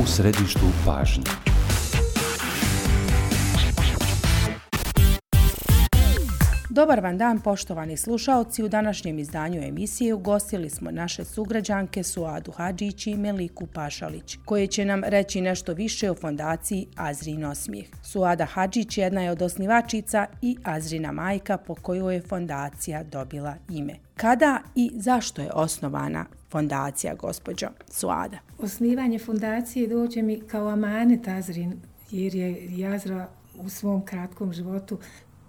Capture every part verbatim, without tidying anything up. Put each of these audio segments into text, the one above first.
u središtu pažnje. Dobar vam dan, poštovani slušaoci. U današnjem izdanju emisije ugostili smo naše sugrađanke Suadu Hadžić i Meliku Pašalić, koje će nam reći nešto više o fondaciji Azrin osmijeh. Suada Hadžić jedna je od osnivačica i Azrina majka po kojoj je fondacija dobila ime. Kada i zašto je osnovana fondacija, gospođo Suada? Osnivanje fondacije dođe mi kao amanet Azrin, jer je Azra u svom kratkom životu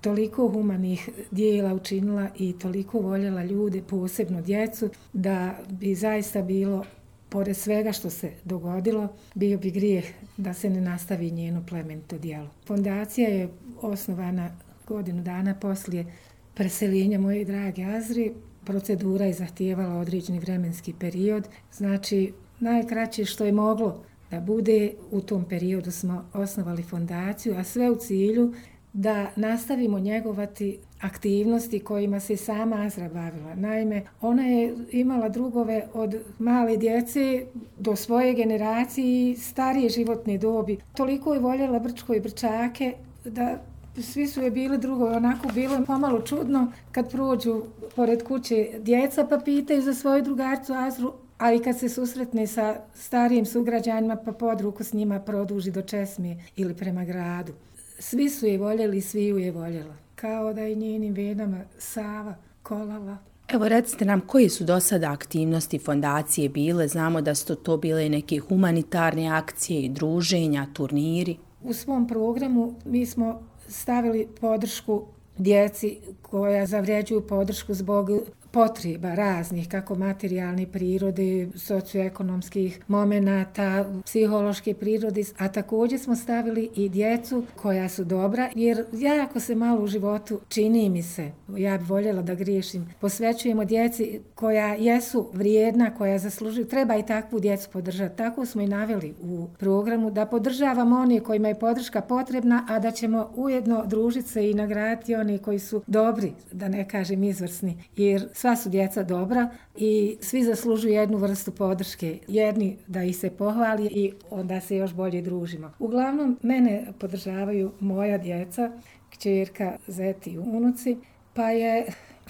toliko humanih dijela učinila i toliko voljela ljude, posebno djecu, da bi zaista bilo, pored svega što se dogodilo, bio bi grijeh da se ne nastavi njeno plemenito djelo. Fondacija je osnovana godinu dana poslije preseljenja moje drage Azri. Procedura je zahtijevala određeni vremenski period, znači najkraće što je moglo da bude, u tom periodu smo osnovali fondaciju, a sve u cilju da nastavimo njegovati aktivnosti kojima se sama Azra bavila. Naime, ona je imala drugove od male djece do svoje generacije i starije životne dobi. Toliko je voljela Brčko i Brčake da svi su je bili drugovi. Onako bilo pomalo čudno kad prođu pored kuće djeca pa pitaju za svoju drugarcu Azru, a i kad se susretne sa starijim sugrađanima pa pod ruku s njima produži do česme ili prema gradu. Svi su je voljeli, svi ju je voljela. Kao da je njenim venama Sava kolala. Evo, recite nam koje su do sada aktivnosti fondacije bile. Znamo da su to bile neke humanitarne akcije i druženja, turniri. U svom programu mi smo stavili podršku djeci koja zavređuju podršku zbog potreba raznih, kako materijalne prirode, socioekonomskih momenata, psihološke prirode, a također smo stavili i djecu koja su dobra, jer jako se malo u životu, čini mi se, ja bih voljela da griješim, posvećujemo djeci koja jesu vrijedna, koja zaslužuju, treba i takvu djecu podržati. Tako smo i naveli u programu, da podržavamo one kojima je podrška potrebna, a da ćemo ujedno družiti se i nagraditi one koji su dobri, da ne kažem izvrsni, jer sva su djeca dobra i svi zaslužuju jednu vrstu podrške. Jedni da ih se pohvali i onda se još bolje družimo. Uglavnom, mene podržavaju moja djeca, kćerka, zeti i unuci, pa je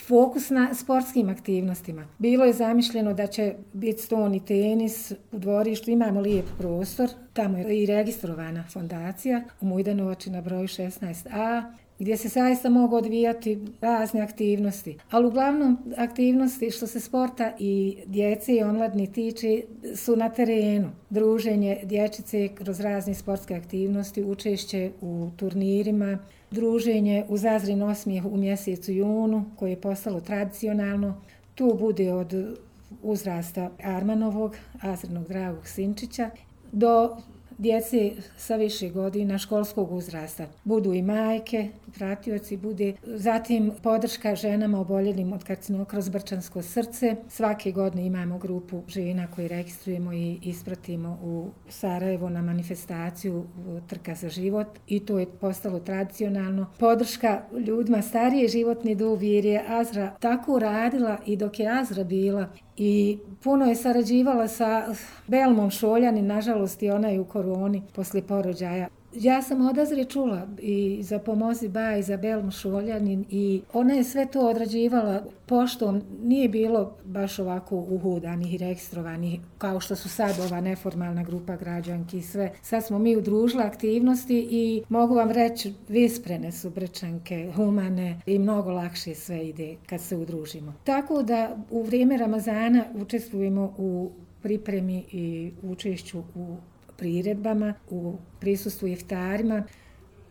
fokus na sportskim aktivnostima. Bilo je zamišljeno da će biti ston i tenis u dvorištu, imamo lijep prostor, tamo je i registrovana fondacija u Mujdanovači na broju šesnaest a, gdje se zaista mogu odvijati razne aktivnosti. Ali uglavnom aktivnosti što se sporta i djece i omladni tiče su na terenu. Druženje dječice kroz razne sportske aktivnosti, učešće u turnirima, druženje uz Azrin osmijeh u mjesecu junu koje je postalo tradicionalno. Tu bude od uzrasta Armanovog, Azrinog dragog sinčića, do djece sa više godina školskog uzrasta. Budu i majke, pratioci, bude zatim podrška ženama oboljelim od karcinoma kroz Brčansko srce. Svake godine imamo grupu žena koje registrujemo i ispratimo u Sarajevo na manifestaciju Trka za život i to je postalo tradicionalno. Podrška ljudima starije životne dobi jer je Azra tako radila i dok je Azra bila i puno je sarađivala sa Belmom Šoljanin, nažalost i ona je u koroni poslije porođaja. Ja sam od Azre čula i za Pomozi Ba i za Belmu Šoljanin i ona je sve to odrađivala poštom. Nije bilo baš ovako uhodanih i registrovanih kao što su sad ova neformalna grupa građanki i sve. Sad smo mi udružili aktivnosti i mogu vam reći visprene su Brčanke, humane i mnogo lakše sve ide kad se udružimo. Tako da u vrijeme Ramazana učestvujemo u pripremi i učešću u priredbama, u prisustvu iftarima,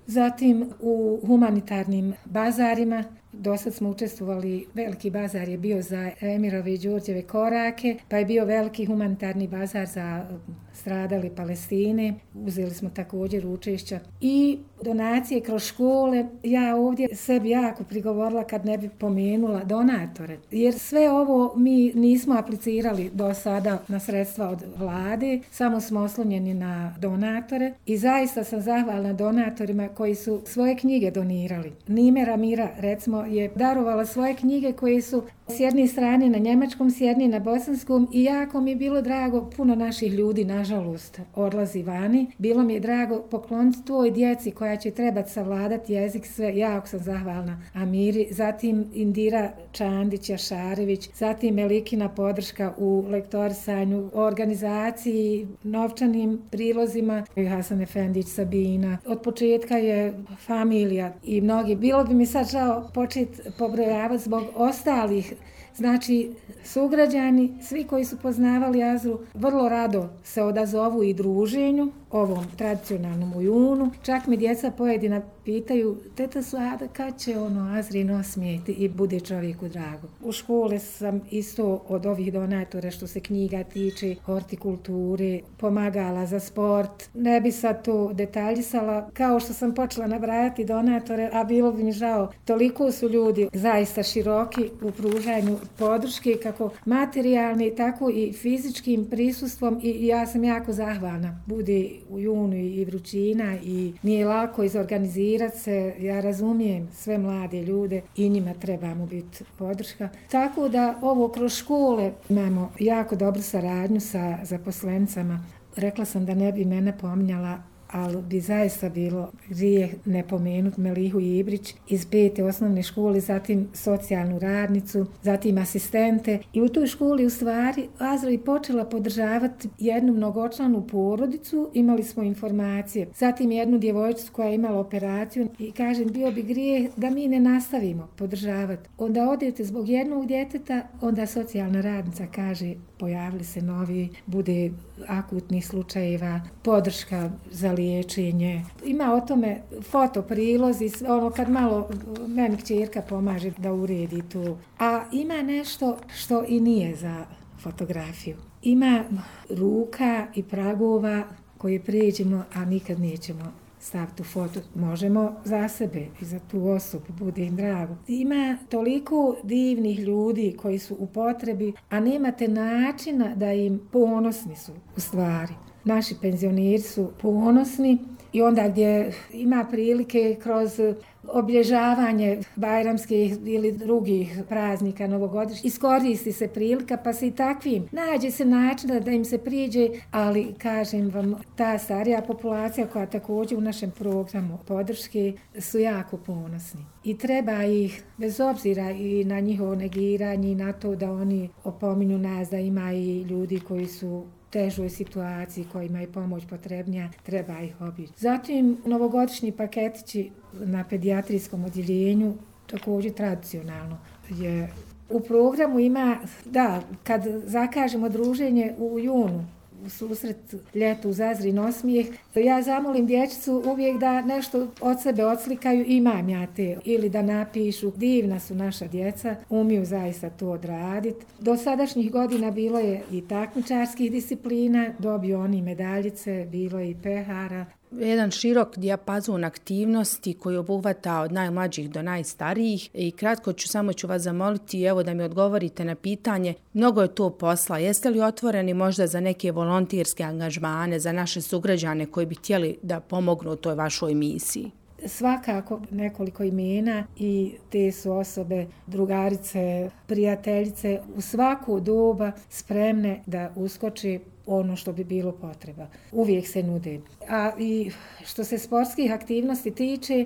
zatim u humanitarnim bazarima. Dosad smo učestvovali, veliki bazar je bio za Emirove i Đorđeve korake, pa je bio veliki humanitarni bazar za stradale Palestine. Uzeli smo također učešća i donacije kroz škole. Ja ovdje sebi jako prigovorila kad ne bi pomenula donatore, jer sve ovo mi nismo aplicirali do sada na sredstva od vlade, samo smo oslonjeni na donatore i zaista sam zahvalna donatorima koji su svoje knjige donirali. Nimera Mira, recimo, je darovala svoje knjige koje su s jedne strane na njemačkom, s jedne na bosanskom i jako mi je bilo drago, puno naših ljudi, nažalost, odlazi vani. Bilo mi je drago pokloniti tvoj djeci koja će trebati savladati jezik, sve, jako sam zahvalna Amiri, zatim Indira Čandić-Jašarević, zatim Melikina podrška u lektorisanju, organizaciji, novčanim prilozima, Hasan Efendić, Sabina. Od početka je familija i mnogi. Bilo bi mi sad žao početi pobrojavati zbog ostalih. Znači, sugrađani, svi koji su poznavali Azru, vrlo rado se odazovu i druženju, ovom tradicionalnom u junu. Čak mi djeca pojedina pitaju, teta Suada, kad će ono Azrin osmijeti i bude čovjeku drago. U škole sam isto od ovih donatora što se knjiga tiče, hortikulture, pomagala za sport. Ne bi sad to detaljisala, kao što sam počela nabrajati donatore, a bilo bi mi žao, toliko su ljudi zaista široki u pružanju podrške, kako materijalni, tako i fizičkim prisustvom i ja sam jako zahvalna. Bude u junu i vrućina i nije lako izorganizirati se, ja razumijem sve mlade ljude i njima trebamo biti podrška. Tako da ovo kroz škole imamo jako dobru saradnju sa zaposlenicama. Rekla sam da ne bi mene pominjala, ali bi zaista bilo grijeh ne pomenuti Melihu Ibrić iz pete osnovne škole, zatim socijalnu radnicu, zatim asistente. I u toj školi u stvari Azra je počela podržavati jednu mnogočlanu porodicu, imali smo informacije. Zatim jednu djevojčicu koja je imala operaciju i kažem, bio bi grijeh da mi ne nastavimo podržavati. Onda odete zbog jednog djeteta, onda socijalna radnica kaže, pojavili se novi, bude akutnih slučajeva, podrška za liječenje. Ima o tome fotoprilozi, ono kad malo meni kćerka pomaže da uredi tu. A ima nešto što i nije za fotografiju. Ima ruka i pragova koje prijeđemo, a nikad nećemo staviti u foto. Možemo za sebe i za tu osobu, bude im drago. Ima toliko divnih ljudi koji su u potrebi, a nemate načina da im ponosni su u stvari. Naši penzioneri su ponosni i onda gdje ima prilike kroz obilježavanje bajramskih ili drugih praznika novogodišnjih, iskoristi se prilika pa se i takvim nađe se način da im se priđe, ali kažem vam, ta starija populacija koja također u našem programu podrške su jako ponosni. I treba ih, bez obzira i na njihovo negiranje i na to da oni opominju nas da ima i ljudi koji su težoj situaciji, kojima je pomoć potrebnija, treba ih obići. Zatim, novogodišnji paketići na pedijatrijskom odjeljenju, također tradicionalno je. U programu ima, da, kad zakažemo druženje u junu, u susret ljetu uz Azrin osmijeh, ja zamolim dječicu uvijek da nešto od sebe odslikaju, imam ja te, ili da napišu. Divna su naša djeca, umiju zaista to odraditi. Do sadašnjih godina bilo je i takmičarskih disciplina, dobio oni medaljice, bilo je i pehara. Jedan širok dijapazon aktivnosti koji obuhvata od najmlađih do najstarijih i kratko ću samo ću vas zamoliti evo da mi odgovorite na pitanje. Mnogo je to posla. Jeste li otvoreni možda za neke volonterske angažmane, za naše sugrađane koji bi htjeli da pomognu u toj vašoj misiji? Svakako nekoliko imena i te su osobe, drugarice, prijateljice u svaku doba spremne da uskoči ono što bi bilo potreba. Uvijek se nude. A i što se sportskih aktivnosti tiče,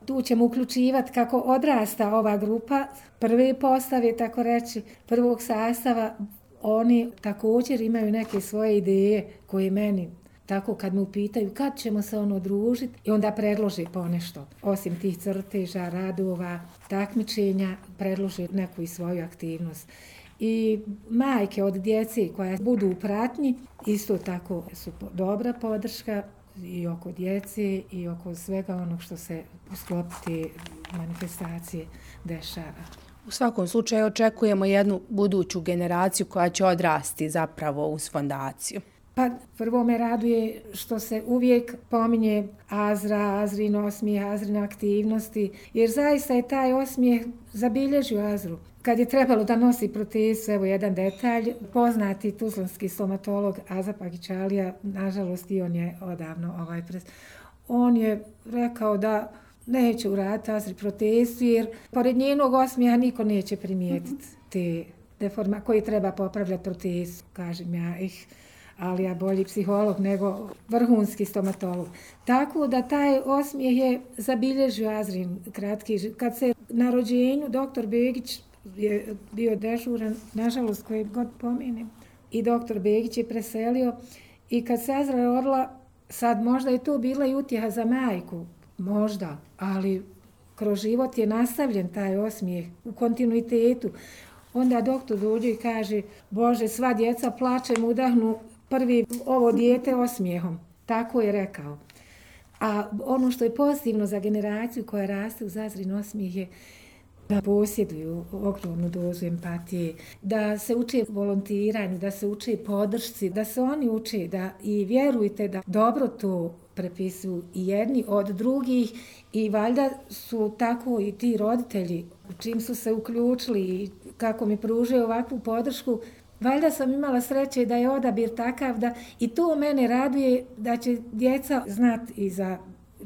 tu ćemo uključivati kako odrasta ova grupa, prve postave, tako reći, prvog sastava, oni također imaju neke svoje ideje koje meni tako kad me upitaju kad ćemo se ono družiti i onda predloži ponešto. Osim tih crteža, radova, takmičenja, predloži neku i svoju aktivnost. I majke od djece koja budu u pratnji, isto tako su dobra podrška i oko djece i oko svega onog što se u sklopu te manifestacije dešava. U svakom slučaju očekujemo jednu buduću generaciju koja će odrasti zapravo uz fondaciju. Pa prvo me raduje što se uvijek pominje Azra, Azrin osmijeh, Azrina aktivnosti, jer zaista je taj osmijeh zabilježio Azru. Kad je trebalo da nosi protezu, evo jedan detalj, poznati tuzlanski stomatolog Aza Pagićalija, nažalost i on je odavno ovaj pres, on je rekao da neće uraditi Azri protezu, jer pored njenog osmijeha niko neće primijetiti te deforma koji treba popravljati protezu, kažem ja ih. Ali ja bolji psiholog nego vrhunski stomatolog. Tako da taj osmijeh je zabilježio Azrin kratki. Kad se na rođenju doktor Begić je bio dežuran, nažalost koji god pomenem, i doktor Begić je preselio i kad se Azra rodila, sad možda je to bila i utjeha za majku, možda, ali kroz život je nastavljen taj osmijeh u kontinuitetu. Onda doktor dođe i kaže, Bože, sva djeca plačem udahnu prvi ovo dijete osmijehom. Tako je rekao. A ono što je pozitivno za generaciju koja raste uz Azrin osmijeh je da posjeduju ogromnu dozu empatije, da se uče volontiranju, da se uče podršci, da se oni uče da i vjerujte da dobro to prepisuju i jedni od drugih i valjda su tako i ti roditelji u čim su se uključili i kako mi pružaju ovakvu podršku. Valjda sam imala sreće da je odabir takav da i to mene raduje da će djeca znati i za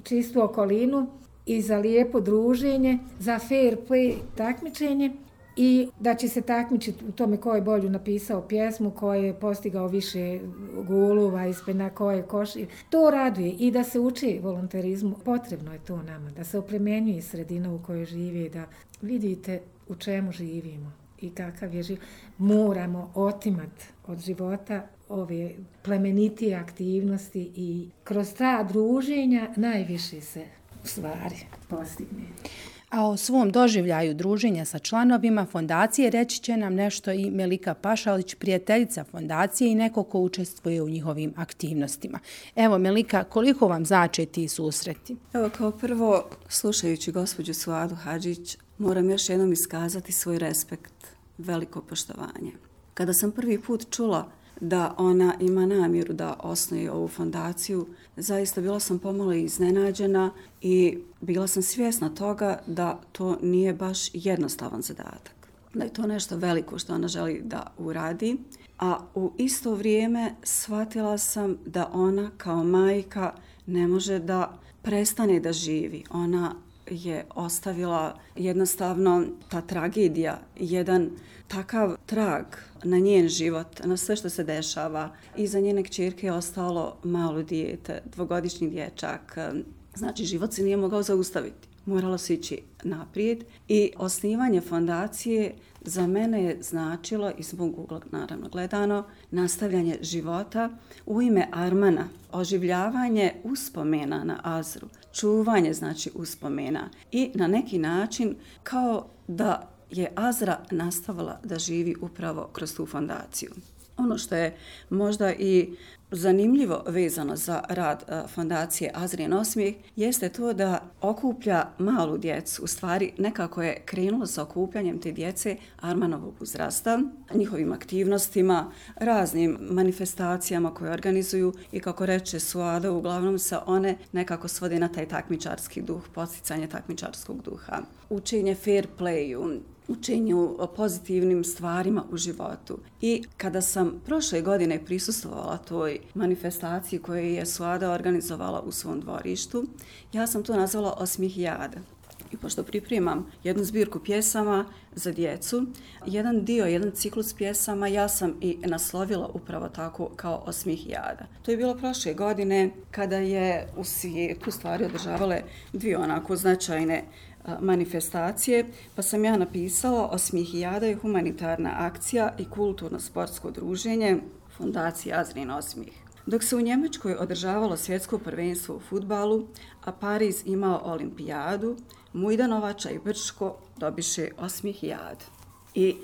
čistu okolinu i za lijepo druženje, za fair play takmičenje i da će se takmičiti u tome ko je bolju napisao pjesmu, ko je postigao više golova ispred na koje koši. To raduje i da se uči volonterizmu. Potrebno je to nama, da se oplemenjuje sredina u kojoj živi, da vidite u čemu živimo i kakav je život. Moramo otimati od života ove plemenitije aktivnosti i kroz ta druženja najviše se u stvari postigne. A o svom doživljaju druženja sa članovima fondacije reći će nam nešto i Melika Pašalić, prijateljica fondacije i neko ko učestvuje u njihovim aktivnostima. Evo Melika, koliko vam znače ti susreti? Evo kao prvo, slušajući gospođu Suadu Hadžić, moram još jednom iskazati svoj respekt, veliko poštovanje. Kada sam prvi put čula da ona ima namjeru da osnuje ovu fondaciju, zaista bila sam pomalo iznenađena i bila sam svjesna toga da to nije baš jednostavan zadatak. Da je to nešto veliko što ona želi da uradi, a u isto vrijeme shvatila sam da ona kao majka ne može da prestane da živi. Ona je ostavila jednostavno ta tragedija, jedan takav trag na njen život, na sve što se dešava. Iza njene kćerke je ostalo malo dijete, dvogodišnji dječak. Znači, život se nije mogao zaustaviti. Moralo se ići naprijed i osnivanje fondacije za mene je značilo, iz mog ugla naravno gledano, nastavljanje života u ime Armana, oživljavanje uspomena na Azru, čuvanje znači uspomena i na neki način kao da je Azra nastavila da živi upravo kroz tu fondaciju. Ono što je možda i zanimljivo vezano za rad fondacije Azrin osmijeh jeste to da okuplja malu djecu. U stvari nekako je krenulo sa okupljanjem te djece Armanovog uzrasta, njihovim aktivnostima, raznim manifestacijama koje organizuju i kako reče Suada, uglavnom se one nekako svode na taj takmičarski duh, podsticanje takmičarskog duha, učenje fair playu, učenju o pozitivnim stvarima u životu. I kada sam prošle godine prisustvovala toj manifestaciji koju je Suada organizovala u svom dvorištu, ja sam to nazvala Osmihijada. I pošto pripremam jednu zbirku pjesama za djecu, jedan dio, jedan ciklus pjesama ja sam i naslovila upravo tako kao Osmihijada. To je bilo prošle godine kada je u svijetu stvari održavale dvije onako značajne manifestacije, pa sam ja napisala Osmihijada je humanitarna akcija i kulturno-sportsko druženje fondacije Azrin osmijeh. Dok se u Njemačkoj održavalo svjetsko prvenstvo u fudbalu, a Pariz imao olimpijadu, Mujdanovača i Brčko dobiše Osmihijadu. I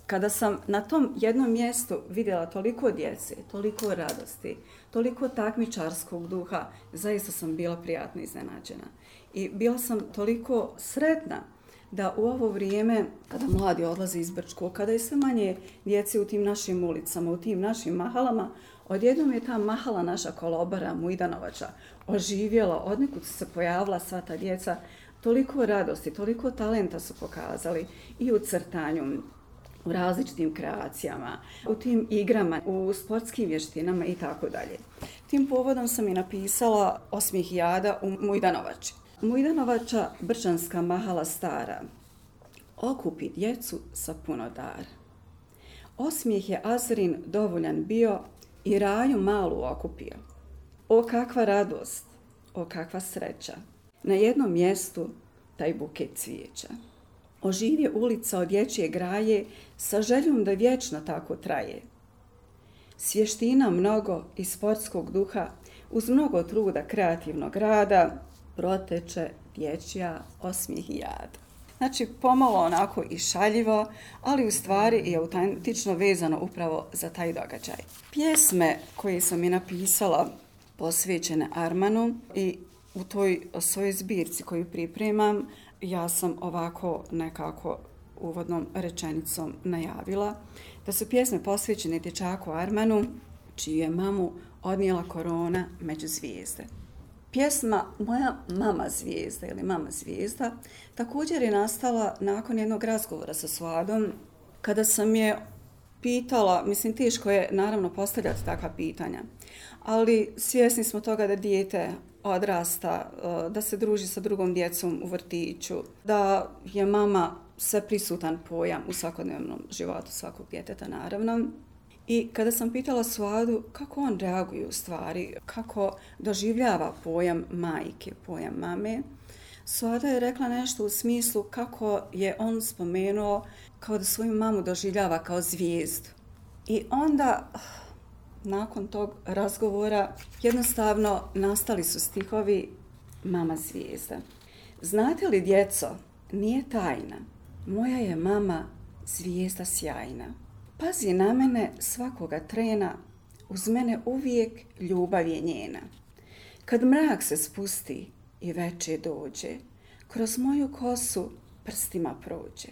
kada sam na tom jednom mjestu vidjela toliko djece, toliko radosti, toliko takmičarskog duha, zaista sam bila prijatno iznenađena. I bila sam toliko sretna da u ovo vrijeme, kada mladi odlaze iz Brčkog, kada je sve manje djece u tim našim ulicama, u tim našim mahalama, odjednom je ta mahala naša Kolobara, Mujdanovača, oživjela, odnekud su se pojavila sva ta djeca, toliko radosti, toliko talenta su pokazali i u crtanju, u različitim kreacijama, u tim igrama, u sportskim vještinama i tako dalje. Tim povodom sam i napisala Osmihijada u Mujdanovači. Mujdanovača Brčanska mahala stara okupi djecu sa puno dara. Osmijeh je Azrin dovoljan bio i raju malu okupio. O kakva radost, o kakva sreća, na jednom mjestu taj buket cvijeća. Oživje ulica od dječje graje sa željom da vječno tako traje. Svještina mnogo i sportskog duha uz mnogo truda kreativnog rada proteče dječja osmijeh i jad. Znači, pomalo onako i šaljivo, ali u stvari i autentično vezano upravo za taj događaj. Pjesme koje sam i napisala posvećene Armanu i u toj svojoj zbirci koju pripremam, ja sam ovako nekako uvodnom rečenicom najavila da su pjesme posvećene dječaku Armanu, čiju je mamu odnijela korona među zvijezde. Pjesma Moja mama zvijezda ili Mama zvijezda također je nastala nakon jednog razgovora sa Suadom, kada sam je pitala, mislim teško je naravno postavljati takva pitanja, ali svjesni smo toga da dijete odrasta, da se druži sa drugom djecom u vrtiću, da je mama sveprisutan pojam u svakodnevnom životu svakog djeteta naravno. I kada sam pitala Suadu kako on reaguje u stvari, kako doživljava pojam majke, pojam mame, Suada je rekla nešto u smislu kako je on spomenuo kao da svoju mamu doživljava kao zvijezdu. I onda, nakon tog razgovora, jednostavno nastali su stihovi Mama zvijezda. Znate li, djeco, nije tajna, moja je mama zvijezda sjajna. Pazi na mene svakoga trena, uz mene uvijek ljubav je njena. Kad mrak se spusti i veče dođe, kroz moju kosu prstima prođe.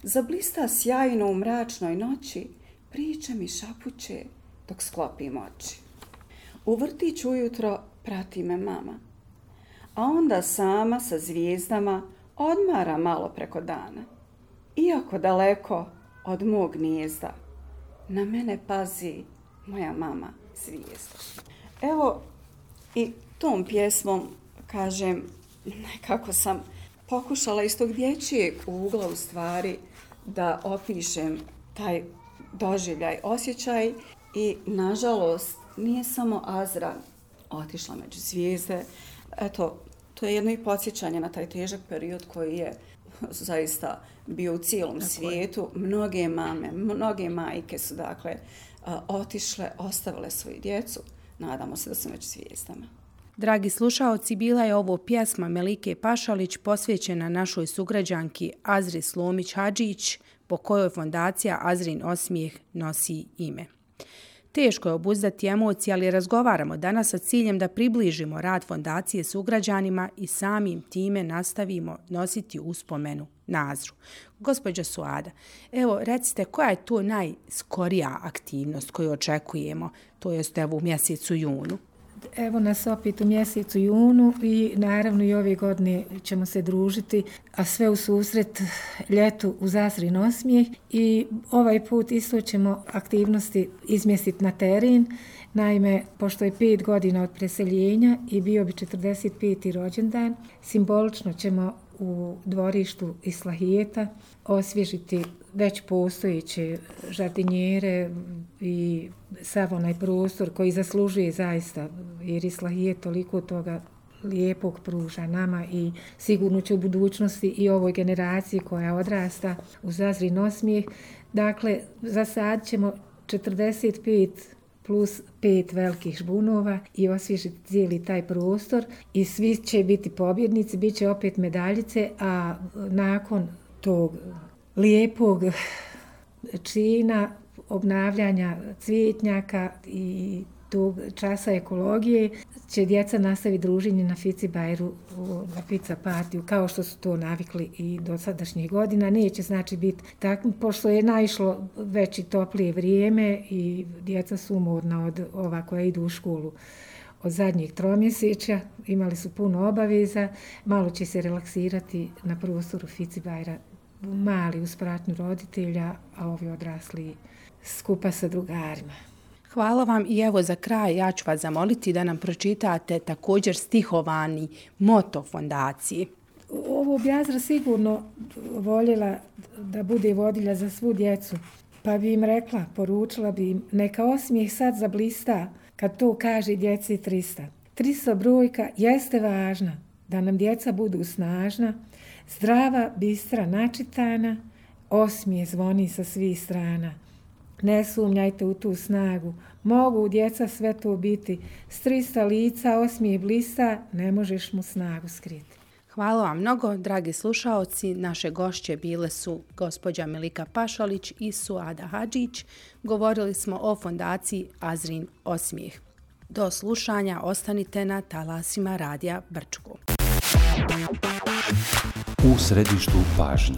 Zablista sjajno u mračnoj noći, priče mi šapuće dok sklopim oči. U vrtić ujutro prati me mama, a onda sama sa zvijezdama odmara malo preko dana. Iako daleko od mog gnijezda, na mene pazi moja mama zvijezda. Evo, i tom pjesmom, kažem, nekako sam pokušala iz tog dječjeg ugla u stvari da opišem taj doživljaj, osjećaj i nažalost nije samo Azra otišla među zvijezde. Eto, to je jedno i podsjećanje na taj težak period koji je zaista bio u cijelom Tako svijetu. Je. Mnoge mame, mnoge majke su dakle otišle, ostavile svoju djecu. Nadamo se da su među zvijezdama. Dragi slušaoci, bila je ovo pjesma Melike Pašalić posvećena našoj sugrađanki Azri Slomić-Hadžić, po kojoj fondacija Azrin osmijeh nosi ime. Teško je obuzdati emocije, ali razgovaramo danas sa ciljem da približimo rad fondacije sugrađanima i samim time nastavimo nositi uspomenu na Azru. Gospođo Suada, evo recite koja je to najskorija aktivnost koju očekujemo, to jest evo u mjesecu junu? Evo nas opet u mjesecu junu i naravno i ove godine ćemo se družiti, a sve u susret ljetu uz Azrin osmijeh i ovaj put isto ćemo aktivnosti izmjestiti na teren. Naime, pošto je pet godina od preseljenja i bio bi četrdeset peti rođendan, simbolično ćemo u dvorištu Islahijeta osvježiti već postojeće žardinjere i sav onaj prostor koji zaslužuje zaista, jer Islahijet toliko toga lijepog pruža nama i sigurno će u budućnosti i ovoj generaciji koja odrasta uz Azrin osmijeh. Dakle, za sad ćemo četrdeset pet plus pet velikih žbunova i osvježiti cijeli taj prostor i svi će biti pobjednici, bit će opet medaljice, a nakon tog lijepog čina obnavljanja cvijetnjaka i tog časa ekologije će djeca nastaviti druženje na Fici Bajru, na pizza partiju, kao što su to navikli i do sadašnjih godina. Neće znači biti tako, pošto je naišlo već i toplije vrijeme i djeca su umorna od ova koja idu u školu od zadnjih tromjesečja, imali su puno obaveza, malo će se relaksirati na prostoru Fici Bajra, mali uz pratnju roditelja, a ovi odrasli skupa sa drugarima. Hvala vam i evo za kraj ja ću vas zamoliti da nam pročitate također stihovani moto fondacije. Ovo bi Azra sigurno voljela da bude vodilja za svu djecu, pa bi im rekla, poručila bi im, neka osmijeh sad zablista kad to kaže djeci trista. tristo brojka jeste važna, da nam djeca budu snažna, zdrava, bistra, načitana, osmijeh zvoni sa svih strana. Ne sumnjajte u tu snagu, mogu djeca sve to biti, s trista lica osmijeh blista, ne možeš mu snagu skriti. Hvala vam mnogo, dragi slušaoci. Naše gošće bile su gospođa Melika Pašalić i Suada Hadžić. Govorili smo o fondaciji Azrin osmijeh. Do slušanja ostanite na talasima Radija Brčko. U središtu pažnje.